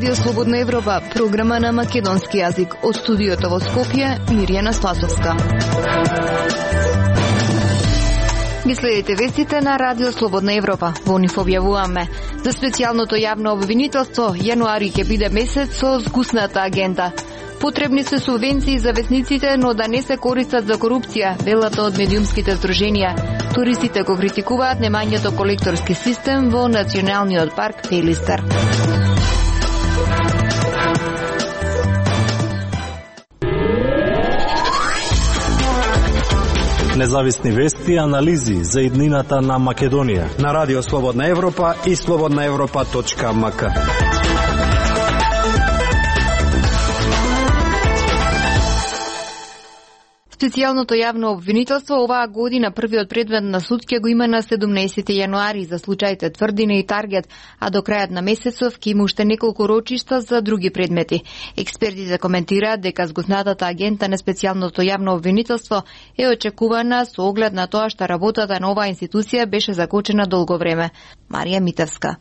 Радио Слободна Европа, програма на македонски јазик. Од студиото во Скопје, Мирјана Спасовска. Ги следите вестите на Радио Слободна Европа. Во нив објавуваме: за специјалното јавно обвинителство, јануари ќе биде месец со згусната агенда. Потребни се субвенции за весниците, но да не се користат за корупција, велат од медиумските здруженија. Туристите го критикуваат немањето колекторски систем во Националниот парк Пелистер. Независни вести и анализи за иднината на Македонија на Радио Слободна Европа и slobodnaevropa.mk. Специјалното јавно обвинителство оваа година првиот предмет на суд ќе го има на 17 јануари за случаите Тврдина и Таргет, а до крајот на месецов ќе има уште неколку рочишта за други предмети. Експертите коментираат дека згуснатата агента на специјалното јавно обвинителство е очекувана со оглед на тоа што работата на оваа институција беше закочена долго време. Марија Митевска.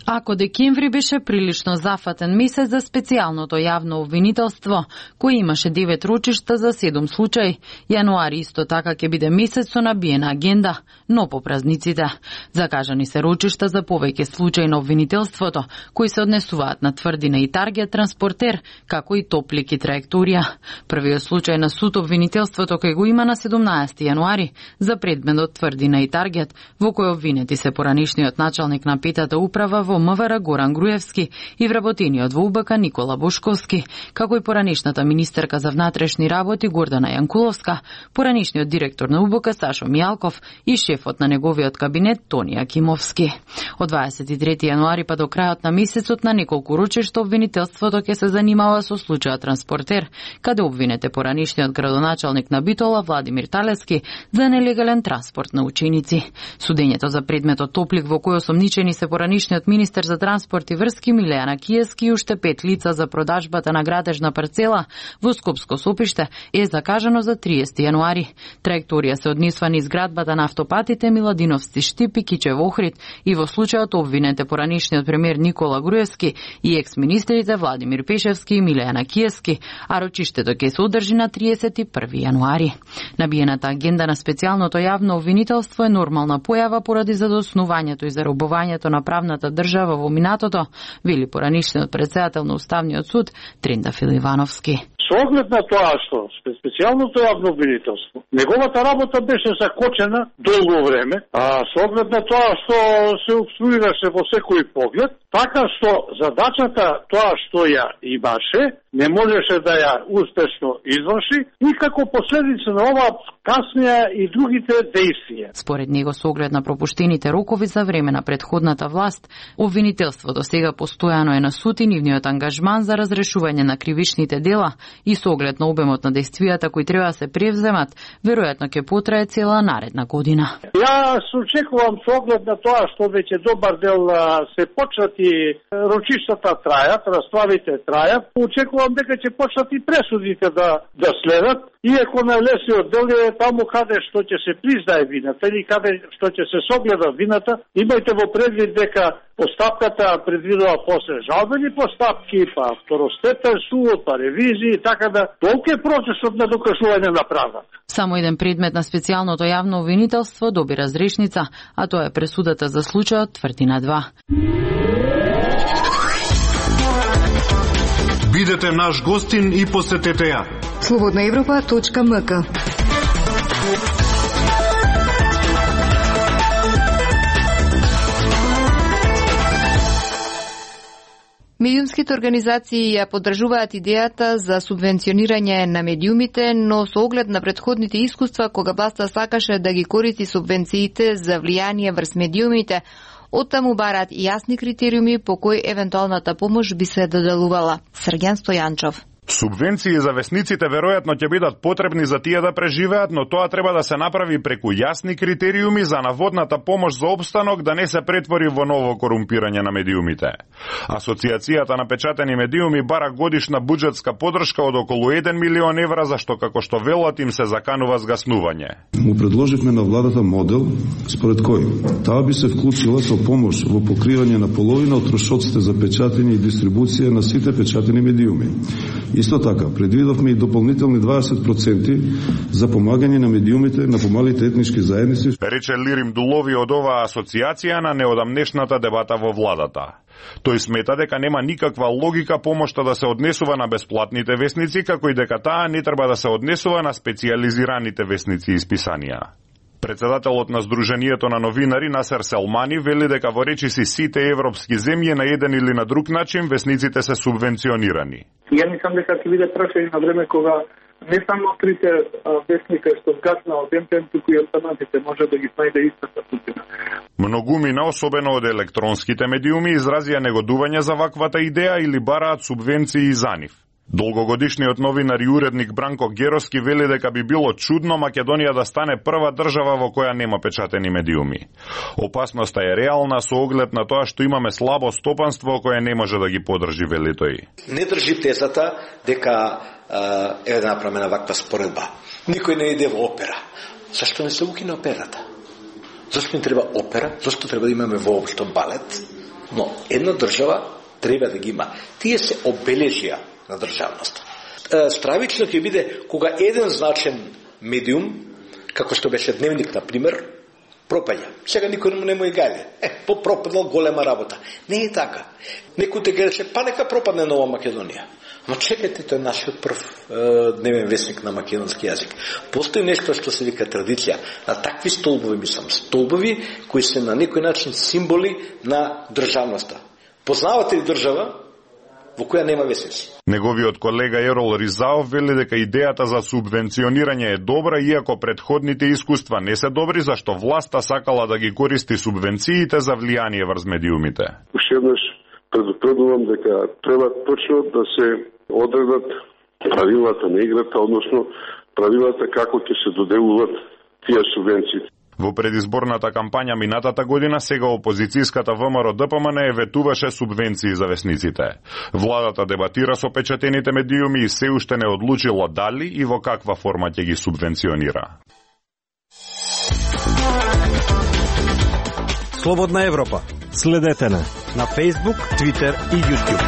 Ако декември беше прилично зафатен месец за специјалното јавно обвинителство, кој имаше 9 рочишта за 7 случаи, јануари исто така ќе биде месец со набиена агенда, но по празниците. Закажани се рочишта за повеќе случаи на обвинителството, кои се однесуваат на Тврдина и Таргет транспортер, како и Топлик и Траекторија. Првиот случај на суд обвинителството кој го има на 17 јануари за предметот Тврдина и Таргет, во кој обвинети се поранишниот началник на петата управа во МВР Горан Груевски и вработениот во УБК Никола Бошковски, како и поранишната министерка за внатрешни работи Гордана Јанкуловска, поранишниот директор на УБК Сашо Мијалков и шефот на неговиот кабинет Тони Акимовски. Од 23 јануари па до крајот на месецот на неколку рочишта обвинителството ќе се занимава со случајот транспортер, каде обвинете поранишниот градоначалник на Битола Владимир Талески за нелегален транспорт на ученици. Судењето за предметот Топлик во кој осомничени се поранишниот министер за транспорт и врски Милејана Киевски и уште 5 лица за продажбата на градежна парцела во Скопско Сопиште е закажано за 30 јануари. Траекторија се однесува низ градбата на автопатите Миладиновци Штип и Кичев Охрид и во случајот обвинете поранишниот премиер Никола Груевски и екс-министрите Владимир Пешевски и Милејана Киевски, а рочиштето ќе се одржи на 31 јануари. Набиената агенда на специјалното јавно обвинителство е нормална појава поради задоснувањето и заробувањето на правната држава во минатото, вели поранишниот председател на Уставниот суд Трендафил Ивановски. Со оглед на тоа што специјалното јавно обвинителство, неговата работа беше закочена долго време, а со оглед на тоа што се обструираше во секој поглед, така што задачата тоа што ја имаше, не можеше да ја успешно изврши и како последица на ова каснеа и другите действија. Според него, со оглед на пропуштените рокови за време на претходната власт, обвинителството сега постојано е на суд и нивниот ангажман за разрешување на кривичните дела и со оглед на обемот на действијата кои треба да се превземат, веројатно ќе потрае цела наредна година. Ја се очекувам со оглед на тоа што веќе добар дел се почнати рочиштата трајат, расправите трајат, очекувам дека ќе почнат и пресудите да следат, иако најлесниот дел е таму каде што ќе се признае вината или каде што ќе се согледа вината. Имајте во предвид дека постапката предвидува после жалбени постапки, па второстепен суд, па ревизии, така да толку е процесот на докажување на правдата. Само еден предмет на специјалното јавно обвинителство доби разрешница, а тоа е пресудата за случајот Тврдина 2. Бидете наш гостин и посетете ја. slobodnaevropa.mk. Медиумските организации ја поддржуваат идејата за субвенционирање на медиумите, но со оглед на претходните искуства кога власта сакаше да ги користи субвенциите за влијание врз медиумите, оттаму бараат и јасни критериуми по кои евентуалната помош би се доделувала. Срѓан Стојанчов. Субвенции за весниците веројатно ќе бидат потребни за тие да преживеат, но тоа треба да се направи преку јасни критериуми за наводната помош за опстанок да не се претвори во ново корумпирање на медиумите. Асоциацијата на печатени медиуми бара годишна буџетска подршка од околу 1 милион евра, зашто како што велат им се заканува згаснување. Му предложивме на владата модел според кој таа би се вклучила со помош во покривање на половина од трошоците за печатење и дистрибуција на сите печатени медиуми. Исто така, предвидовме и дополнителни 20% за помагање на медиумите на помалите етнички заедници. Рече Лирим Дулови од оваа асоциација на неодамнешната дебата во владата. Тој смета дека нема никаква логика помошта да се однесува на бесплатните весници, како и дека таа не треба да се однесува на специјализираните весници и списанија. Председателот на Сдруженијето на новинари Насер Селмани вели дека во речиси сите европски земји на еден или на друг начин весниците се субвенционирани. Ја мислам дека ќе биде прашање на време кога не само трите вестника што згасна од МТМ, туку и останатите може да ги најде истата судбина. Многумина, особено од електронските медиуми, изразија негодување за ваквата идеја или бараат субвенции за нив. Долгогодишниот новинар и уредник Бранко Героски вели дека би било чудно Македонија да стане прва држава во која нема печатени медиуми. Опасноста е реална со оглед на тоа што имаме слабо стопанство кое не може да ги подржи, вели тој. Не држи тезата дека е направена ваква споредба. Никој не иде во опера. Зашто не се укине операта? Зашто не треба опера? Зашто треба да имаме воопшто балет? Но една држава треба да ги има. Тие се обележија на државност. Стравично ќе биде кога еден значен медиум, како што беше Дневник, на пример, пропаѓа. Сега никој не му и гајде. Пропаднал голема работа. Не е така. Некој те гледаше, па нека пропадне Нова Македонија. Но чекайте, тој е нашиот прв дневен вестник на македонски јазик. Постои нешто што се вика традиција. На такви столбови, мислам, столбови кои се на некој начин символи на државноста. Познавате ли држава во која нема весници? Неговиот колега Ерол Ризаов вели дека идејата за субвенционирање е добра, иако предходните искуства не се добри, зашто власта сакала да ги користи субвенциите за влијание врз медиумите. Уште еднаш предупредувам дека треба точно да се одредат правилата на играта, односно правилата како ќе се доделуваат тие субвенции. Во предизборната кампања минатата година сега опозицијската ВМРО-ДПМН ветуваше субвенции за весниците. Владата дебатира со печатените медиуми и се уште не одлучила дали и во каква форма ќе ги субвенционира. Слободна Европа. Следете на Facebook, Twitter и YouTube.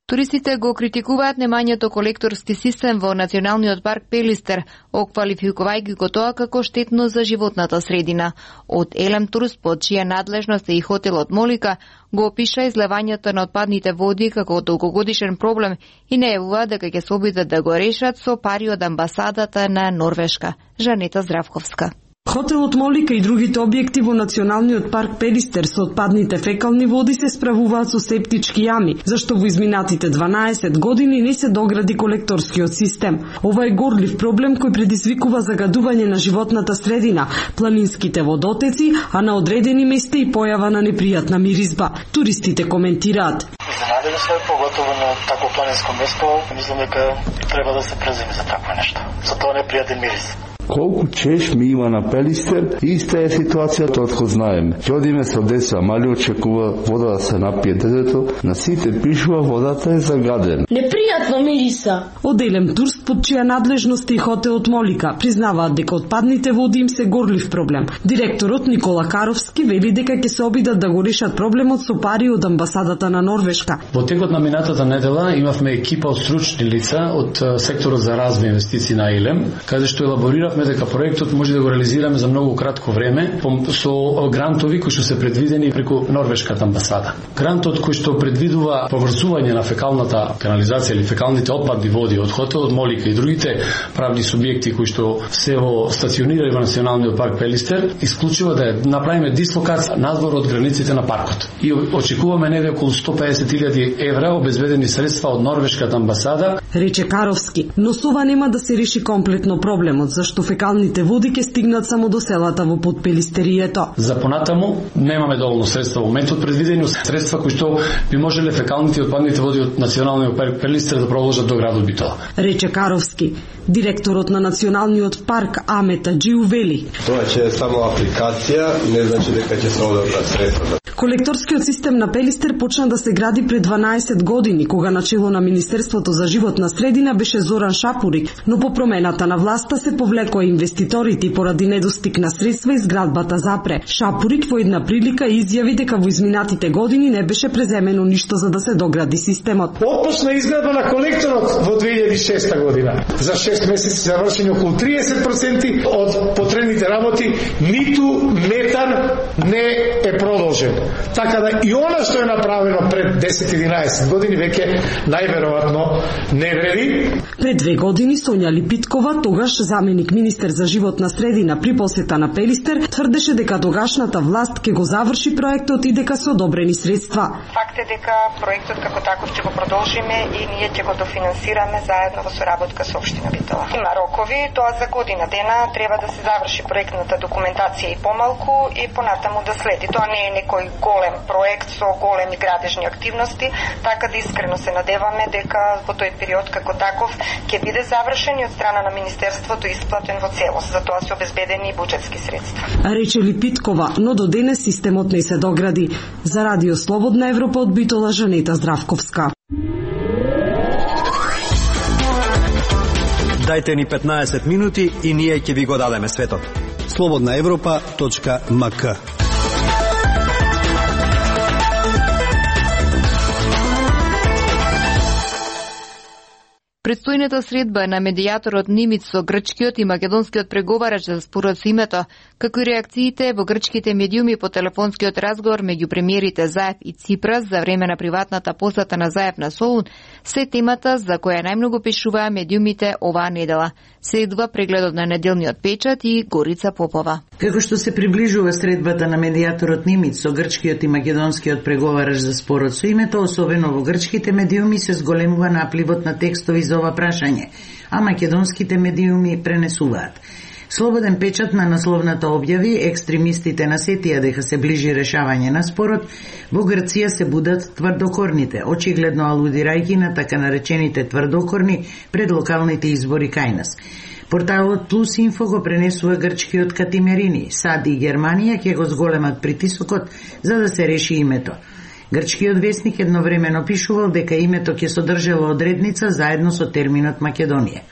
Туристите го критикуваат немањето колекторски систем во Националниот парк Пелистер, оквалификувајќи го тоа како штетно за животната средина. Од Елем Турс, под чија надлежност е и хотелот Молика, го опиша излевањето на отпадните води како долгогодишен проблем и најавува дека ќе се обидат да го решат со пари од амбасадата на Норвешка. Жанета Здравковска. Хотелот Молика и другите објекти во Националниот парк Пелистер со отпадните фекални води се справуваат со септички јами, зашто во изминатите 12 години не се догради колекторскиот систем. Ова е горлив проблем кој предизвикува загадување на животната средина, планинските водотеци, а на одредени места и појава на непријатна миризба. Туристите коментираат. Изненадени се, поготово на такво планинско место, мислам дека треба да се преземи за такво нешто. За тоа непријатен мирис. Колку чешми има на Пелистер, иста е ситуацијата од кој знаеме. Ќе одиме со деца, мали очекува вода да се напие детето, на сите пишува водата е загадена. Непријатно мириса. Од Елем Турс, под чија надлежност и хотелот Молика, признаваат дека отпадните води им се горлив проблем. Директорот Никола Каровски вели дека ќе се обидат да го решат проблемот со пари од амбасадата на Норвешка. Во текот на минатата недела имавме екипа од стручни лица од секторот за развој инвестиции на Елем, каде што елаборирав дека проектот може да го реализираме за многу кратко време со грантови кои што се предвидени преку Норвешката амбасада. Грантот кој што предвидува поврзување на фекалната канализација или фекалните отпадни води од хотелот Молика и другите правни субјекти кои што се во стационирани во Националниот парк Пелистер, исклучува да направиме дислокација надвор од границите на паркот. И очекуваме негде околу 150.000 евра обезбедени средства од Норвешката амбасада. Рече Каровски, но со ова нема да се реши комплетно проблемот, зашто фекалните води ќе стигнат само до селата во подпелистерието. За понатаму немаме доволно средства во моментот предвидени средства кои што би можеле фекалните и отпадните води од националниот парк Пелистер да продолжат до градот Битола. Рече Каровски. Директорот на националниот парк Амета Джиу вели: Тоа е само апликација, не значи дека ќе се одобрат средства. Колекторскиот систем на Пелистер почна да се гради пред 12 години, кога на чело на Министерството за животна средина беше Зоран Шапурик, но по промената на власта се повлекоа инвеститорите и поради недостиг на средства изградбата запре. Шапурик во една прилика изјави дека во изминатите години не беше преземено ништо за да се догради системот. Отпочна изградба на колекторот во 2006 година. За 6 месеци се завршени околу 30% од потребните работи, ниту метар не е продолжен. Така да и она што е направено пред 10-11 години веќе најверојатно не вреди. Пред 2 години Сонја Липиткова, тогаш заменик министер за животна средина при посета на Пелистер, тврдеше дека тогашната власт ќе го заврши проектот и дека се одобрени средства. Факт е дека проектот како таков ќе го продолжиме и ние ќе го дофинансираме заедно во соработка со општина Битола. Има рокови, тоа за година дена треба да се заврши проектната документација и помалку и понатаму да следи. Тоа не е некој голем проект со големи градежни активности, така да искрено се надеваме дека во тој период како таков ќе биде завршен и од страна на министерството исплатен во целост. За тоа се обезбедени и буџетски средства. Рече Липиткова, но до денес системот не се догради. За Радио Слободна Европа од Битола, Жанета Здравковска. Дајте ни 15 минути и ние ќе ви го дадеме светот. slobodnaevropa.mk. Предстојната средба на медијаторот Нимиц со грчкиот и македонскиот преговарач за спорот со името, како и реакциите во грчките медиуми по телефонскиот разговор меѓу премиерите Заев и Ципрас за време на приватната посета на Заев на Солун, се темата за која најмногу пишуваа медиумите оваа недела. Следува прегледот на неделниот печат и Горица Попова. Како што се приближува средбата на медијаторот Нимиц со грчкиот и македонскиот преговарач за спорот со името, особено во грчките медиуми се зголемува напливот на текстови за ова прашање, а македонските медиуми пренесуваат. Слободен печат на насловната објави, екстремистите насетија дека се ближи решавање на спорот, во Грција се будат тврдокорните, очигледно алудирајќи на така наречените тврдокорни пред локалните избори кај нас. Порталот Плюс Инфо го пренесува грчкиот Катимерини, САД и Германија ќе го зголемат притисокот за да се реши името. Грчкиот весник едновремено пишувал дека името ќе содржало одредница заедно со терминот Македонија.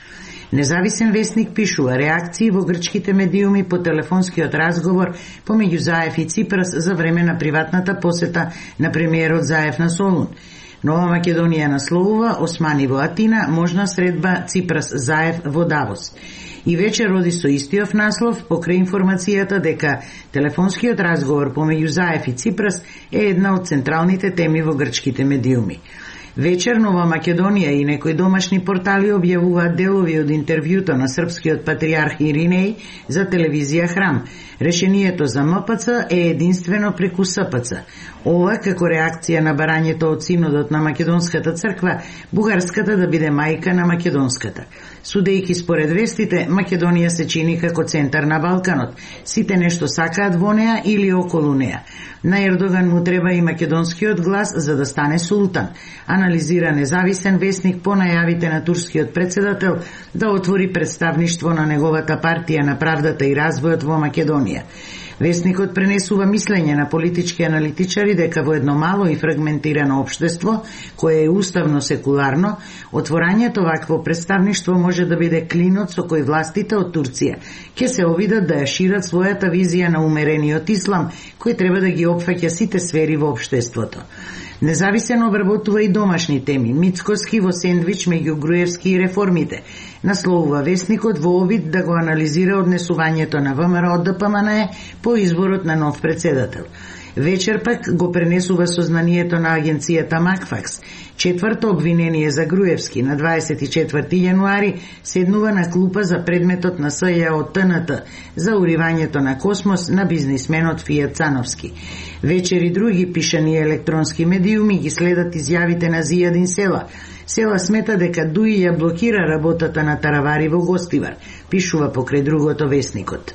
Независен весник пишува реакции во грчките медиуми по телефонскиот разговор помеѓу Заев и Ципрас за време на приватната посета на премиерот Заев на Солун. Нова Македонија насловува Османи во Атина, можна средба Ципрас Заев во Давос. И вечер роди со истиот наслов покрај информацијата дека телефонскиот разговор помеѓу Заев и Ципрас е една од централните теми во грчките медиуми. Вечер Нова Македонија и некои домашни портали објавуваат делови од интервјуто на српскиот патриарх Иринеј за телевизија Храм. Решението за МПЦ е единствено преку СПЦ. Ова како реакција на барањето од синодот на Македонската црква, бугарската да биде мајка на македонската. Судејќи според вестите, Македонија се чини како центар на Балканот. Сите нешто сакаат во неа или околу неа. На Ердоган му треба и македонскиот глас за да стане султан. Анализира независен вестник по најавите на турскиот председател да отвори представништво на неговата партија на правдата и развојот во Македонија. Весникот пренесува мислење на политички аналитичари дека во едно мало и фрагментирано општество, кое е уставно секуларно, отворањето вакво представништво може да биде клинот со кој властите од Турција ќе се обидат да ја шират својата визија на умерениот ислам, кој треба да ги опфаќа сите сфери во општеството. Независен обработува и домашни теми, мицкоски во сендвич меѓу Груевски и реформите. Насловува весникот во обид да го анализира однесувањето на ВМРО од ДПМНЕ по изборот на нов председател. Вечер пак го пренесува сознанието на агенцијата Макфакс. Четврто обвинение за Груевски на 24 јануари седнува на клупа за предметот на СЈ од ТНТ за уривањето на Космос на бизнисменот Фијат Цановски. Вечер и други пишани електронски медиуми ги следат изјавите на Зијадин Села. Сева смета дека ДУИ ја блокира работата на таравари во Гостивар, пишува покрај другото весникот.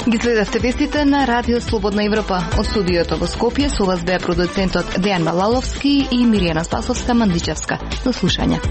Ги следавте вестите на Радио Слободна Европа. Од студиото во Скопје со вас беа продуцентот Дејан Малаловски и Миријана Спасовска-Мандичевска. До слушање.